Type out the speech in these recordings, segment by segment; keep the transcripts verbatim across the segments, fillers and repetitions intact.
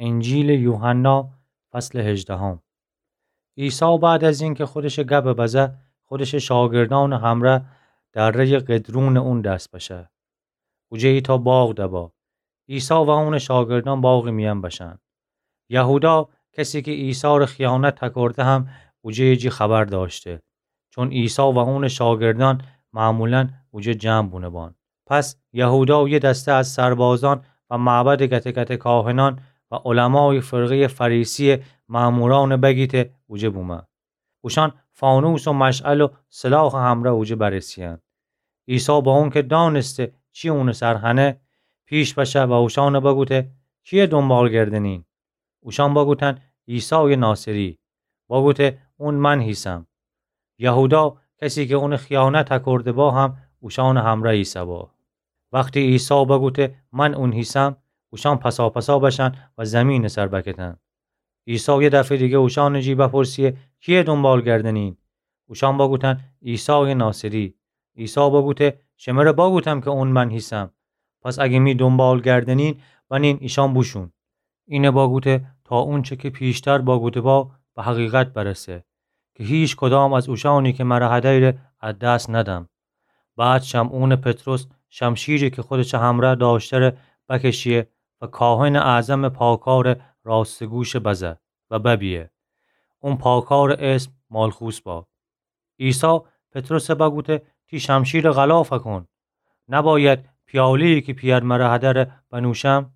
انجیلٚ یوحنا، فصلٚ هجدهم. عیسی بعد از اینکه خودشٚ گب بزه، خودشٚ شاگردأنٚ همرأ دره‌یٚ قدرونٚ اون دس بشه. اوجه ایتأ باغ دبا. عیسی و اونٚ شاگردأن باغٚ میأن بشن. یهودا، کسی که عیسی‌ره خیانت تکرده، هم اوجه جی خبر دأشته، چون عیسی و اونٚ شاگردأن معمولاً اوجه جمع بونه بان. پس یهودا و یه دسته از سربازأن و معبدٚ گته گته کاهنأن و علمایٚ فرقه‌یٚ فریسی‌یٚ مأمورأنٚ بگیته اوجه بومه. اوشأن فانوس و مشعل و سلاحٚ همرأ اوجه برسه‌یأن. عیسی با اونکه دأنسته چی اونٚ سر هنه، پیش بشه و اوشأن بگوته: کیه دونبال گردنین؟ اوشأن بگوتن: عیسایٚ ناصری. بگوته: اون من هیسم. یهودا، کسی که اونٚ خیانت تکرده با، هم اوشأنٚ همرأ ایسه با. وختی عیسی بگوته: من اون هیسم، اوشأن پساپسا بشن و زیمینٚ سر بکتن. عیسی یه دفعه دیگه اوشأنٚ جی بپرسه: کیه دونبال گردنین؟ اوشأن بگوتن: عیسایٚ ناصری. عیسی بگوته: شمره بگوتم که اون من هیسم. پس اگه می دونبال گردنین، بنین ایشأن بوشون. اینه بگوته تا اونچه که پیشتر بگوته با، به حقیقت برسه که هیچ کدام از اوشأنی که مره هدیره از دس ندم. بعد شمعونٚ پطرس شمشیری که خودشٚ همرأ دأشته‌ره بکشیه و کاهنٚ اعظمٚ پاکارٚ راستٚ گوش بزه و ببیه. اون پاکارٚ اسم مالخوس با. عیسی پطرس بگوته: تی شمشیر غلاف کون. نباید پیاله‌یی که پیر مره هدره بنوشم؟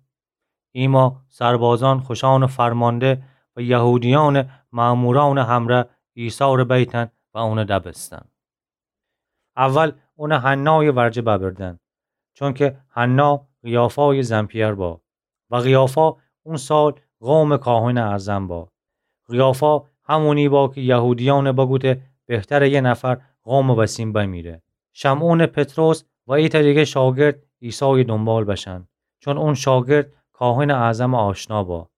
ایما سربازأن خوشأنٚ فرمانده و یهودیأنٚ مأمورأنٚ همرأ عیسی‌ره بیتن و اون دبستن. اول اون حنایٚ ورجه ببردن، چونکه حنا قیافایٚ زن‌پیر با و قیافا اون سال قومٚ کاهنٚ اعظم با. قیافا همونی با که یهودیأن بگوته بهتره یه نفر قومٚ وسین بمیره. شمعونٚ پطرس و ایتأ دیگه شاگرد عیسایٚ دونبال بشن، چون اون شاگرد کاهنٚ اعظمٚ آشنا با.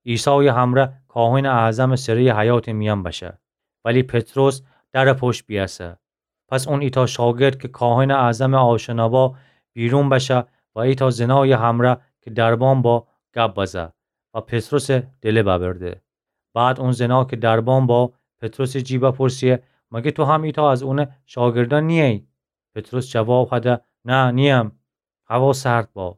عیسایٚ همرأ کاهنٚ اعظمٚ سره‌یٚ حیاطٚ میأن بشه، ولی پطرس درٚ پشت بیأسه. پس اون ایتأ شاگرد که کاهنٚ اعظمٚ آشنا با بیرون بشه و ایتأ زنایٚ همرأ که دربان با گب بزه و پطرسٚ دله ببرده. بعد اون زنا که دربان با پطرسٚ جی بپرسه: مگه تو هم ایتأ از اونٚ شاگردأن نییی؟ پطرس جواب هده: نه، نییم. هوا سرد با.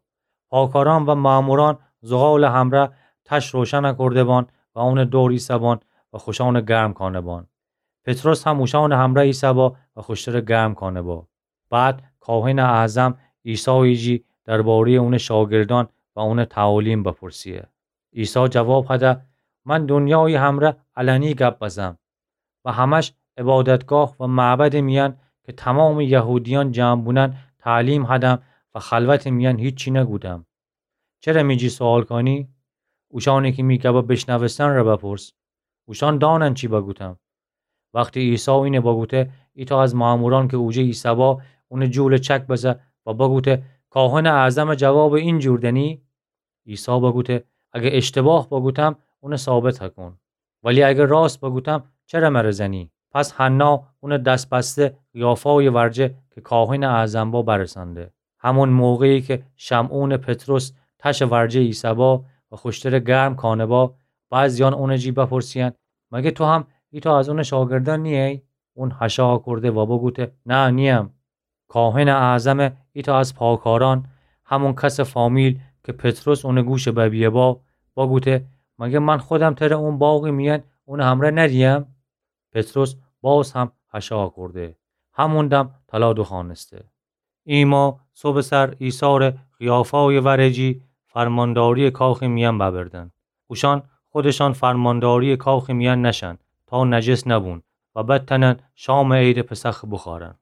پاکارأن و مأمورأن زغالٚ همرأ تش روشن کرده بان و اونٚ دور ایسه بان و خوشأنٚ گرم کانه بان. پطرس هم اوشأنٚ همرأ ایسه با و خوشترٚ گرم کانه با. بعد کاهنٚ اعظم عیسایٚ جی درباره‌یٚ اونٚ شاگردأن و اونٚ تعالیم بپرسه. عیسی جواب هده: من دونیایٚ همرأ علنی گب بزم و همش عبادتگاه و معبدٚ میأن که تمامٚ یهودیأن جمع بونن تعلیم هدم و خلوتٚ میأن هیچی نگودم. چره می جی سؤال کانی؟ اوشأنی که می گب بیشنوستن ره بپرس. اوشأن دانن چی بگوتم. وختی عیسی اینه بگوته، ایتأ از مأمورأن که اوجه ایسه با، اونٚ جولٚ چک بزه و بگوته: کاهنٚ اعظمٚ جوابٚ این جور دنی؟ عیسی بگوته: اگه اشتباه بگوتم، اونٚ ثابت هکون. ولی اگه راست بگوتم، چره مره زنی؟ پس حنا اونٚ دس بسته قیافایٚ ورجه که کاهنٚ اعظم با برسانده. همون موقعی که شمعونٚ پطرس تشٚ ورجه ایسه با و خوشترٚ گرم کانه با، بعضیأن اونٚ جی بپرسیأن: مگه تو هم ایتأ از اونٚ شاگردأن نییی؟ اون هشا کرده و بگوته: نه، نییم. کاهنٚ اعظمٚ ایتأ از پاکارأن، همون کسٚ فامیل که پطرس اونٚ گوشٚ ببیه با، بگوته: مگه من خودم تره اون باغٚ میأن اونٚ همرأ ندیم؟ پطرس باز هم هشا کرده. همون دم طلا دوخوأنسته. ایما صبحٚ سر عیسی ره قیافایٚ ورجی فرمانداریٚ کاخٚ میأن ببردن. اوشأن خودشأن فرمانداریٚ کاخٚ میأن نشن تا نجس نبون و بتأنن شامٚ عیدٚ پسخ بوخوأرن.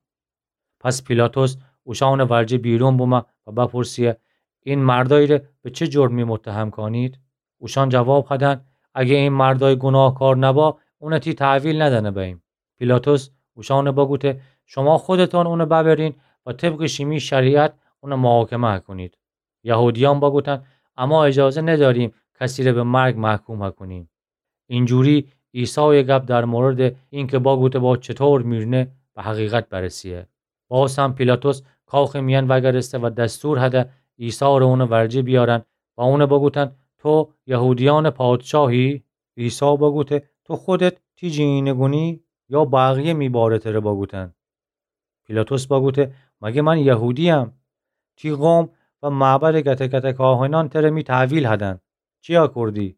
پس پیلاطس اوشأنٚ ورجه بیرون بومه و بپرسیه: این مردأیی ره به چه جرمی متهم کانید؟ اوشأن جواب هدن: اگه این مردأی گوناهکار نبا، اونٚ تی تحویل ندأنه بأییم. پیلاطس اوشأن بگوته: شما خودتأن اونٚ ببرین و طبقٚ شیمی شریعت اونٚ محاکمه هکونید. یهودیأن بگوتن: اما اجازه ندأریم کسی ره به مرگ محکوم هکونیم. اینجوری عیسایٚ گب در موردٚ اینکه بگوته با چطور میرنه به حقیقت برسیه. باز هم پیلاطس کاخٚ میأن وأگردسته و دستور هده عیسی ره اونٚ ورجه بیأرن و اون بگوتن: تو یهودیأنٚ پادشاهی؟ عیسی بگوته: تو خودت تی جی اینه گونی، یا بقیه می باره تره بگوتن؟ پیلاطس بگوته: مگه من یهودییم؟ تی قوم و معبدٚ گته گته کاهنأن تره می تحویل هدن. چیا کوردی؟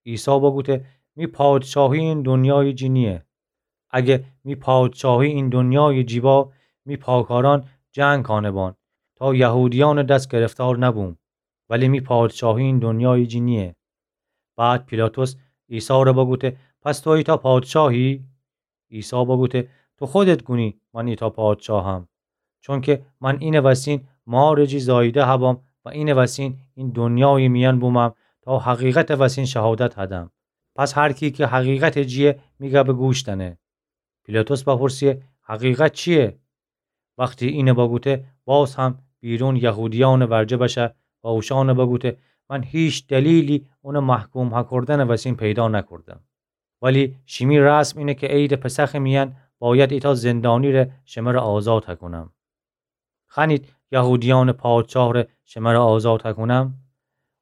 عیسی بگوته: می پادشاهی این دنیای جی نییه. اگه می پادشاهی این دنیای جی با، می پاکارأن جنگ کانه بان تا یهودیأنٚ دس گرفتار نبوم. ولی می پادشاهی این دنیای جی نییه. بعد پیلاطس عیسی ره بگوته: پس تو ایتأ پادشاهی؟ عیسی بگوته: تو خودت گونی من ایتأ پادشاهم. چونکه من اینٚ وسین مارٚ جی زاییده هبم و اینٚ وسین این دنیایٚ میأن بومم تا حقیقتٚ وسین شهادت هدم. پس هر کی که حقیقتٚ جییه می گبٚ گوش دأنه. پیلاطس بپرسه: حقیقت چییه؟ وختی اینه بگوته، باز هم بیرون یهودیأنٚ ورجه بشه و اوشأنه بگوته: من هیچ دلیلی اونٚ محکوم هکردنٚ وسین پیدا نکردم. ولی شیمی رسم اینه که عیدٚ پسخٚ میأن باید ایتأ زندانی ره شمره آزاد هکونم. خوأنید یهودیأنٚ پادشاه ره شمره آزاد هکونم؟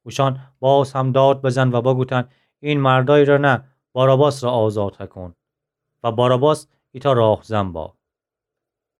اوشأن باز هم داد بزن و بگوتن: این مردأی ره نه، باراباس ره آزاد هکون. و باراباس ایتأ راهزن با.